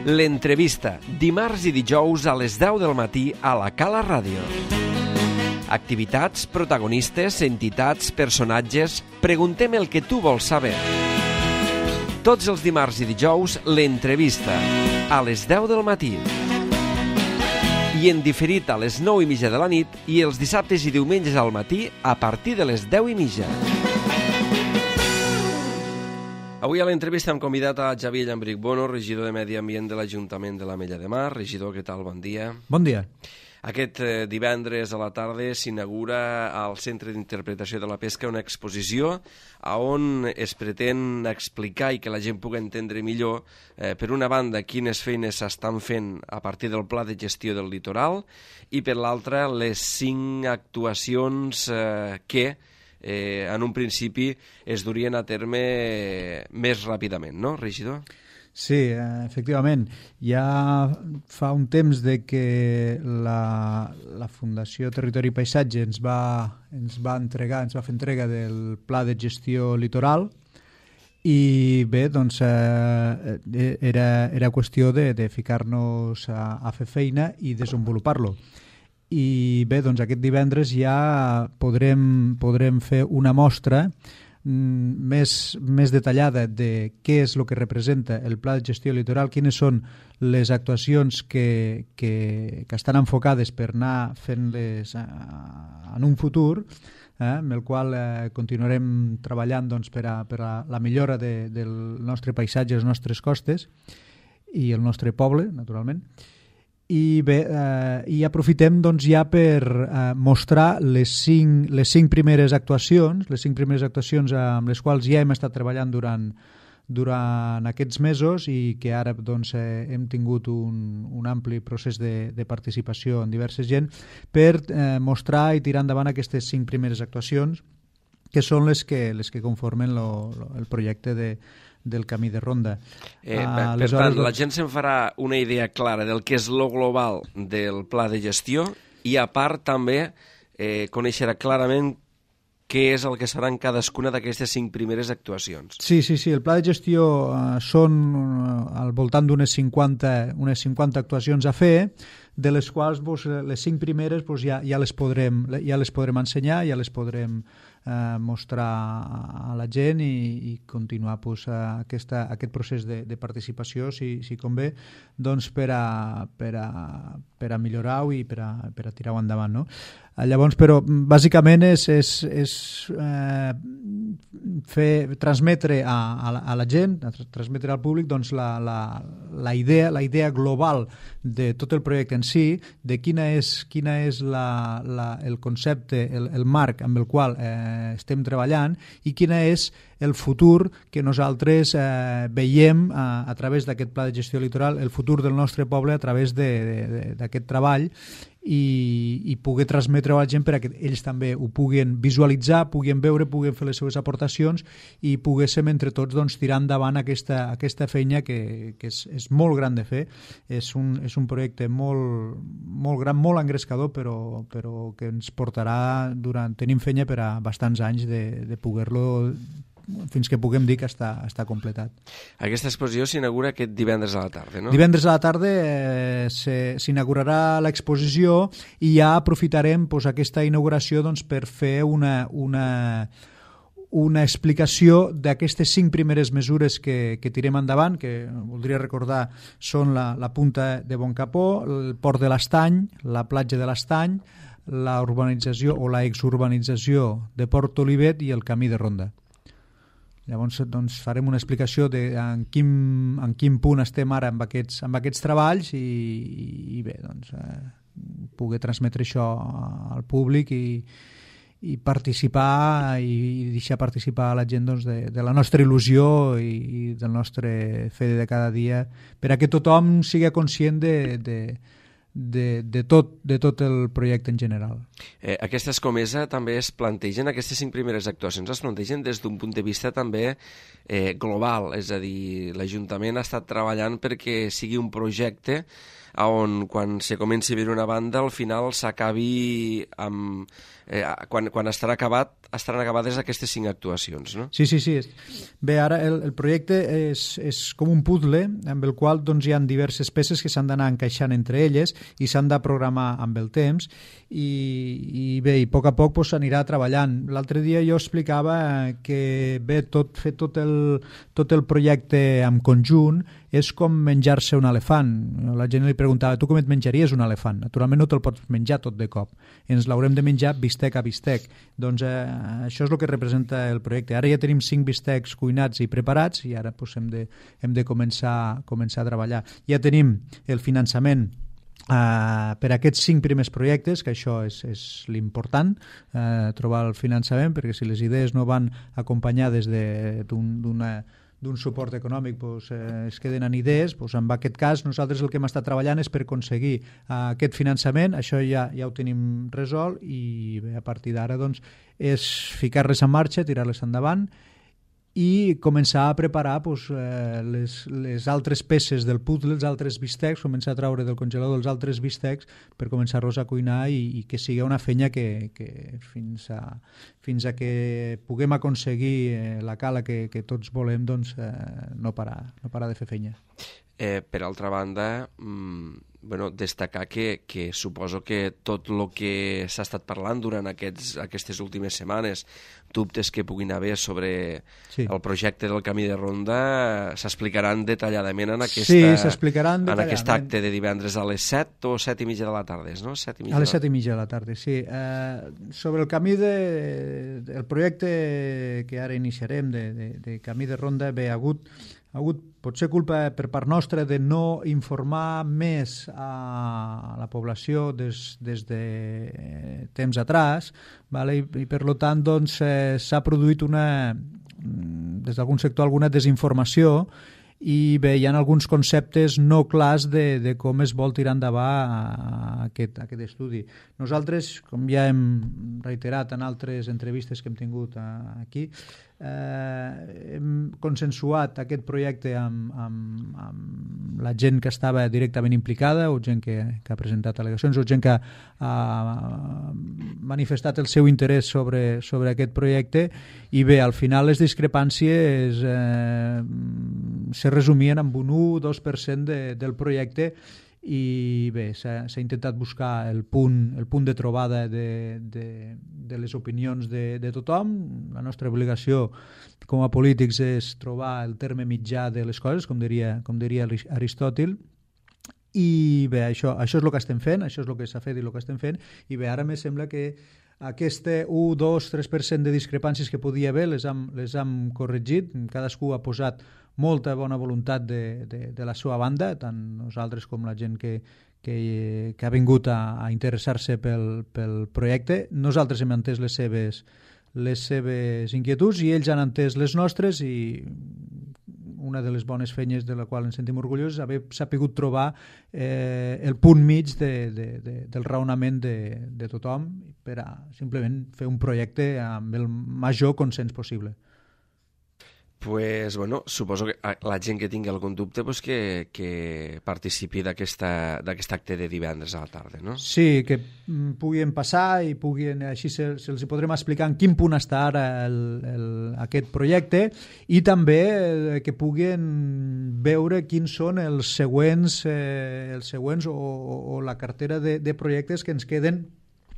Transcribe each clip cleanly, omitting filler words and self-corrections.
L'entrevista, dimarts i dijous a les 10 del matí a la Cala Ràdio. Activitats, protagonistes, entitats, personatges... Preguntem el que tu vols saber. Tots els dimarts i dijous, l'entrevista, a les 10 del matí. I en diferit a les 9:30 de la nit i els dissabtes i diumenges al matí a partir de les 10:30. Avui a l'entrevista hem convidat a Xavier Llambrich Bono, regidor de Medi Ambient de l'Ajuntament de l'Ametlla de Mar. Regidor, què tal? Bon dia. Bon dia. Aquest divendres a la tarda s'inaugura al Centre d'Interpretació de la Pesca una exposició on es pretén explicar i que la gent pugui entendre millor, per una banda, quines feines s'estan fent a partir del Pla de Gestió del Litoral i, per l'altra, les 5 actuacions que en un principi es durien a terme més ràpidament, no, regidor? Sí, efectivament. Ja fa un temps de que la Fundació Territori i Paisatge ens va fer entrega del Pla de Gestió Litoral i bé, doncs era qüestió de ficar-nos a fer feina i desenvolupar-lo. I bé, doncs aquest divendres ja podrem fer una mostra més detallada de què és el que representa el Pla de Gestió Litoral, quines són les actuacions que estan enfocades per anar fent-les en un futur, amb el qual continuarem treballant doncs, per a la millora del nostre paisatge, les nostres costes i el nostre poble, naturalment. I bé, i aprofitem doncs, ja per mostrar les cinc primeres actuacions, amb les quals ja hem estat treballant durant aquests mesos i que ara doncs, hem tingut un ampli procés de participació en diversa gent per mostrar i tirar endavant aquestes 5 primeres actuacions que són les que conformen el projecte del camí de ronda. Per tant, la gent se'n farà una idea clara del que és lo global del pla de gestió i, a part, també coneixerà clarament què és el que seran cadascuna d'aquestes 5 primeres actuacions. Sí, el pla de gestió són al voltant d'unes 50 actuacions a fer, de les quals les 5 primeres ja les podrem ensenyar, ja les podrem mostrar a la gent i continuar aquest procés de participació, si convé, doncs per a millorar-ho i per a tirar-ho endavant, no? Llavors, però, bàsicament és transmetre a la gent, transmetre al públic doncs, la idea global de tot el projecte en si, de quina és el concepte, el marc amb el qual estem treballant i quina és el futur que nosaltres veiem a través d'aquest pla de gestió litoral, el futur del nostre poble a través d'aquest treball i poder transmetre a la gent perquè ells també ho puguen visualitzar, puguen veure, puguen fer les seves aportacions i poguéssim entre tots doncs, tirar endavant aquesta feina que és molt gran de fer. És un projecte molt gran, molt engrescador, però que ens portarà tenim feina per a bastants anys de poder-lo fins que puguem dir que està completat. Aquesta exposició s'inaugura aquest divendres a la tarda, no? Divendres a la tarda s'inaugurarà l'exposició i ja aprofitarem aquesta inauguració per fer una explicació d'aquestes 5 primeres mesures que tirem endavant, que voldria recordar són la Punta de Boncapó, el Port de l'Estany, la platja de l'Estany, la urbanització o la exurbanització de Port Olivet i el camí de ronda. Llavors doncs, farem una explicació de en quin punt estem ara amb aquests treballs i bé, doncs, poder transmetre això al públic i participar i deixar participar a la gent doncs, de la nostra il·lusió i del nostre fer de cada dia per a que tothom sigui conscient tot el projecte en general. Aquesta escomesa també es plantegen, aquestes 5 primeres actuacions es plantegen des d'un punt de vista també global, és a dir, l'Ajuntament ha estat treballant perquè sigui un projecte on quan se comenci a veure una banda al final s'acabi amb... quan estaran acabades aquestes 5 actuacions, no? Sí. Bé, ara el projecte és com un puzzle amb el qual doncs, hi ha diverses peces que s'han d'anar encaixant entre elles i s'han de programar amb el temps i bé, i a poc doncs, s'anirà treballant. L'altre dia jo explicava que bé, fer tot el projecte en conjunt és com menjar-se un elefant. La gent li preguntava, tu com et menjaries un elefant? Naturalment no te'l pots menjar tot de cop. Ens l'haurem de menjar bistec a bistec. Doncs això és el que representa el projecte. Ara ja tenim 5 bistecs cuinats i preparats i ara doncs, hem de començar a treballar. Ja tenim el finançament per aquests 5 primers projectes, que això és l'important, trobar el finançament, perquè si les idees no van acompanyades d'un suport econòmic doncs, es queden en idees, doncs, en aquest cas nosaltres el que hem estat treballant és per aconseguir aquest finançament, això ja ho tenim resolt i bé, a partir d'ara doncs, és ficar-les en marxa, tirar-les endavant i començar a preparar doncs, les altres peces del puzzle, els altres bistecs, començar a treure del congelador els altres bistecs per començar-los a cuinar i que sigui una feina que fins a que puguem aconseguir la cala que tots volem doncs, no parar de fer feina. Per altra banda, destacar que suposo que tot el que s'ha estat parlant durant aquestes últimes setmanes, dubtes que puguin haver sobre el projecte del Camí de Ronda, s'explicaran detalladament en aquest acte de divendres a les 7 o 7 i mitja de la tarda, no? A les 7 i mitja de la tarda, sí. Sobre el camí el projecte que ara iniciarem de Camí de Ronda, bé, ha hagut potser culpa per part nostra de no informar més a la població des de temps atràs, vale? I per tant doncs, s'ha produït des d'algun sector alguna desinformació i bé, hi ha alguns conceptes no clars de com es vol tirar endavant aquest estudi. Nosaltres, com ja hem reiterat en altres entrevistes que hem tingut aquí, hem consensuat aquest projecte amb la gent que estava directament implicada o gent que ha presentat al·legacions o gent que ha manifestat el seu interès sobre aquest projecte i bé, al final les discrepàncies se resumien en un 1-2% del projecte i bé, s'ha intentat buscar el punt de trobada de les opinions de tothom. La nostra obligació com a polítics és trobar el terme mitjà de les coses, com diria Aristòtil, i bé, això és el que estem fent, això és el que s'ha fet i el que estem fent, i bé, ara me sembla que aquest 1-2-3% de discrepàncies que podia haver les hem corregit, cadascú ha posat molta bona voluntat de la seva banda, tant nosaltres com la gent que ha vingut a interessar-se pel projecte. Nosaltres hem entès les seves inquietuds i ells han entès les nostres i una de les bones feines de la qual ens sentim orgullosos és haver sapigut trobar el punt mig del raonament de tothom per a simplement fer un projecte amb el major consens possible. Pues, suposo que la gent que tingui algun dubte que participi d'aquest acte de divendres a la tarda, no? Sí, que puguin passar i així se'ls podrem explicar en quin punt està ara aquest projecte i també que puguin veure quins són els següents o la cartera de projectes que ens queden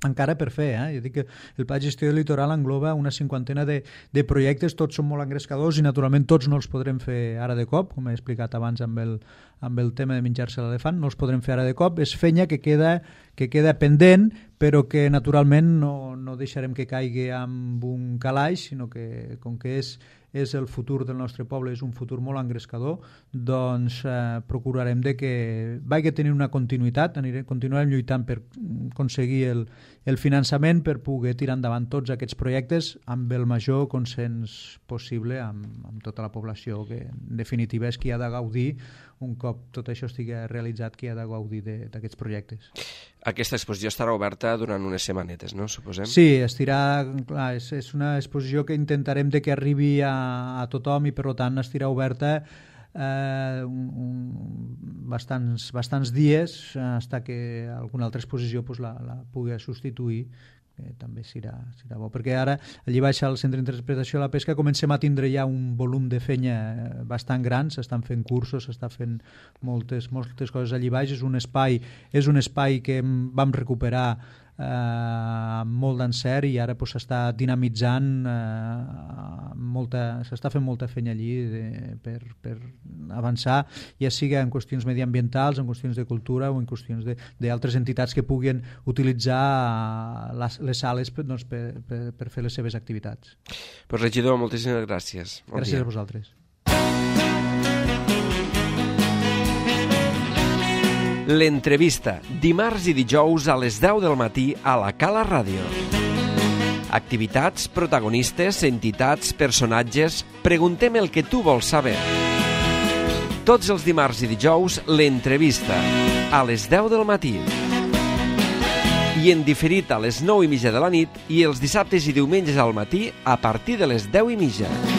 encara per fer. Jo dic que el Pla de Gestió del Litoral engloba una 50ena de projectes, tots són molt engrescadors i naturalment tots no els podrem fer ara de cop, com he explicat abans amb el tema de menjar-se l'elefant, no els podrem fer ara de cop, és feina que queda queda pendent, però que naturalment no deixarem que caigui amb un calaix, sinó que com que és el futur del nostre poble, és un futur molt engrescador, doncs procurarem de que vagi tenir una continuïtat, continuarem lluitant per aconseguir el finançament per poder tirar endavant tots aquests projectes amb el major consens possible amb tota la població, que en definitiva és qui ha de gaudir, un cop tot això estigui realitzat, qui ha de gaudir d'aquests projectes. Aquesta exposició estarà oberta durant unes setmanetes, no? Suposem? Sí, és una exposició que intentarem de que arribi a tothom i per tant estirà oberta bastants dies fins que alguna altra exposició la pugui substituir, que també serà bo, perquè ara allí baix al Centre d'Interpretació de la Pesca comencem a tindre ja un volum de feina bastant gran, s'estan fent cursos, s'estan fent moltes coses allí baix, és un espai que vam recuperar amb molt d'encert i ara s'està dinamitzant, s'està fent molta feina allí per avançar, ja sigui en qüestions mediambientals, en qüestions de cultura o en qüestions d'altres entitats que puguin utilitzar les sales per fer les seves activitats. Pues regidor, moltíssimes gràcies. Gràcies a vosaltres. L'entrevista, dimarts i dijous a les 10 del matí a la Cala Ràdio. Activitats, protagonistes, entitats, personatges... Preguntem el que tu vols saber. Tots els dimarts i dijous, l'entrevista, a les 10 del matí. I en diferit a les 9:30 de la nit i els dissabtes i diumenges al matí a partir de les 10:30.